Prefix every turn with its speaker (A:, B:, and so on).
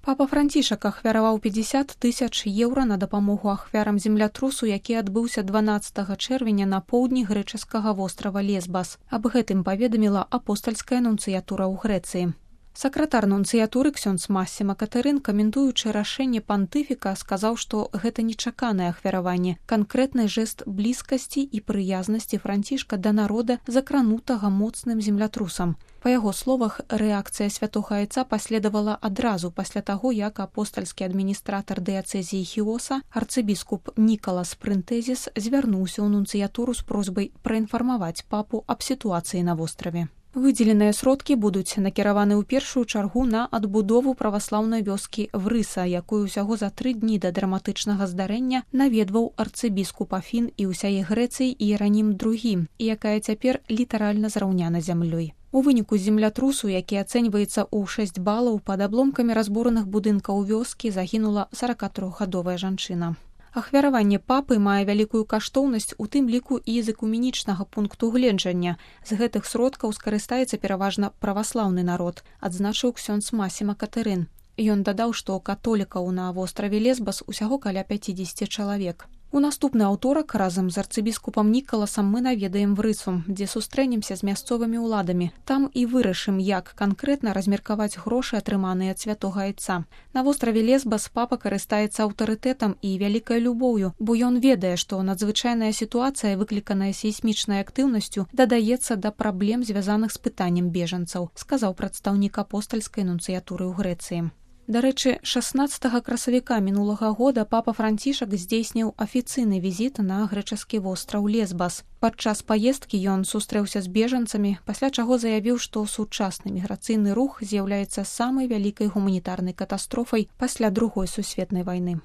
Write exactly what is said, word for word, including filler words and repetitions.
A: Папа Францішак ахвяраваў пятьдесят тысяч еўра на дапамогу ахвярам землятрусу, які адбыўся дванаццатага чэрвеня на поўдні грэчаскага вострава Лесбас. Аб гэтым паведаміла апостальская нунцыятура ў Грэцыі. Сакратар нунцыятуры ксёндз Массіма Катэрын, каментуючы рашэнне пантыфіка, сказаў, што гэта нечаканае ахвяраванне, канкрэтны жэст блізкасці і прыязнасці Францішка да народа, закранутага моцным землятрусам. Па яго словах, рэакцыя святога айца паследавала адразу пасля таго, як апостальскі адміністратар дыяцэзіі Хіоса, арцыбіскуп Нікалас Прынтэзіс, звярнуўся ў нунцыятуру з просьбай праінфармаваць папу аб сітуацыі на востраве. Выдзеленыя сродкі будуць накіраваны ў першую чаргу на адбудову праваслаўнай вёскі Врыса, якую ўсяго за тры дні да драматычнага здарэння наведваў арцыбіскуп Афін і ўсяе Грэцыі Іеранім другі, і якая цяпер літаральна зраўняна зямлёй. У выніку землятрусу, які ацэньваецца ў шэсць балаў, пад абломкамі разбураных будынкаў вёскі загінула саракатрохгадовая жанчына. Ахвяраванне папы мае вялікую каштоўнасць, у тым ліку і з экуменічнага пункту гледжання. З гэтых сродкаў скарыстаецца пераважна праваслаўны народ, адзначыў ксёндз Массіма Катэрын. Ён дадаў, што католікаў на востраве Лесбас усяго каля пяцьдзесят чалавек. У наступны аўторак разам з арцыбіскупам Нікаласам мы наведаем Врысу, дзе сустрэнемся з мясцовымі ўладамі. Там і вырашым, як канкрэтна размеркаваць грошы, атрыманыя ад святога айца. На востраве Лесбас папа карыстаецца аўтарытэтам і вялікай любоўю, бо ён ведае, што надзвычайная сітуацыя, выкліканая сейсмічнай актыўнасцю, дадаецца да праблем, звязаных з пытаннем бежанцаў, сказаў прадстаўнік апостальскай нунцыятуры ў Грэцыі. Дарэчы, шаснаццатага красавіка мінулага года папа Францішак здзейсніў афіцыйны візіт на грэчаскі востраў Лесбас. Падчас паездкі ён сустрэўся з бежанцамі, пасля чаго заявіў, што сучасны міграцыйны рух з'яўляецца самай вялікай гуманітарнай катастрофай пасля другой сусветнай вайны.